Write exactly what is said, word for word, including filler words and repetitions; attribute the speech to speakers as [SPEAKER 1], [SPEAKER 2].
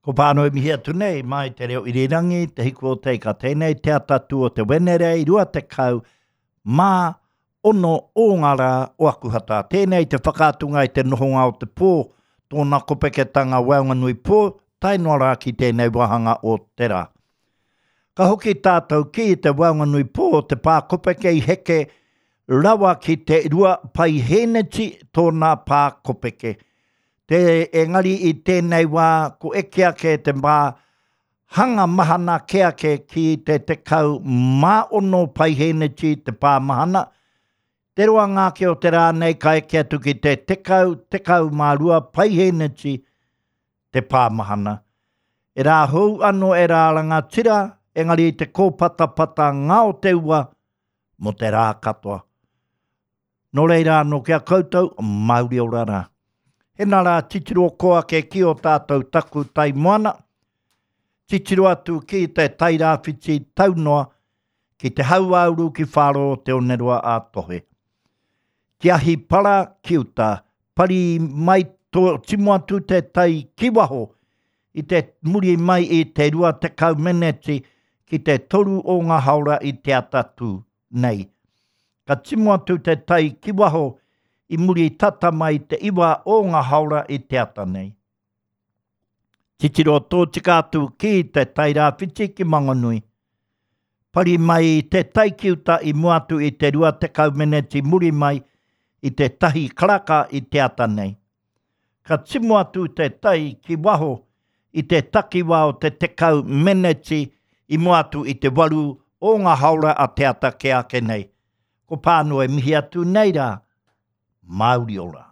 [SPEAKER 1] Ko Pānui mihi atu nei, mai te reo irirangi, te hiku o te ika tēnei, te atatū o te Wenerei, rua tekau mā ono o ngā rā o Akuhata. Tēnei te whakaatunga i te nohonga o te pō, tōna kopeketanga waenganui pō, tae noa rā ki tēnei wāhanga o te rā. Ka hoki tātou ki te waenganui pō o te pā kopeke i heke rawa ki te rua paihēneti tōna pā kopeke. Te, engari i tēnei wā, ko eke ake te mā hanga mahana ke ake ki te tekau mā ono paihēneti te pā mahana. Te roa ngā o te rā nei ka eke atu ki te tekau, tekau mā rua paihēneti te pā mahana. E rā hou ano e rā rangatira, engari te kōpatapata ngā o te ua mo te rā katoa. Nō reira anō ki a koutou, mauri ora rā. Hena rā titiro ko ake ki o tātou taku tai moana, titiro atu ki te tairāwhiti taunoa, ki te hauāuru ki whāro o te oneroa a tohe. Ki ahi para ki uta, pari mai tō timo atu te tai ki waho, i te muri mai i te rua tekau meneti ki te toru o ngā haora i te atatū nei. Ka timo atu te tai ki waho i muri tata mai te iwa o ngā haora i te ata nei. Titiro tōtika atu ki te tairāwhiti ki Mangonui. Pari mai te tai ki uta i mua atu i te rua tekau meneti muri mai i te tahi karaka i te ata nei. Ka timo atu te tai ki waho i te takiwā o te tekau meneti i mua atu i te waru o ngā haora a te ata ke ake nei. Ko Pānui mihi atu nei rā, mauri ora.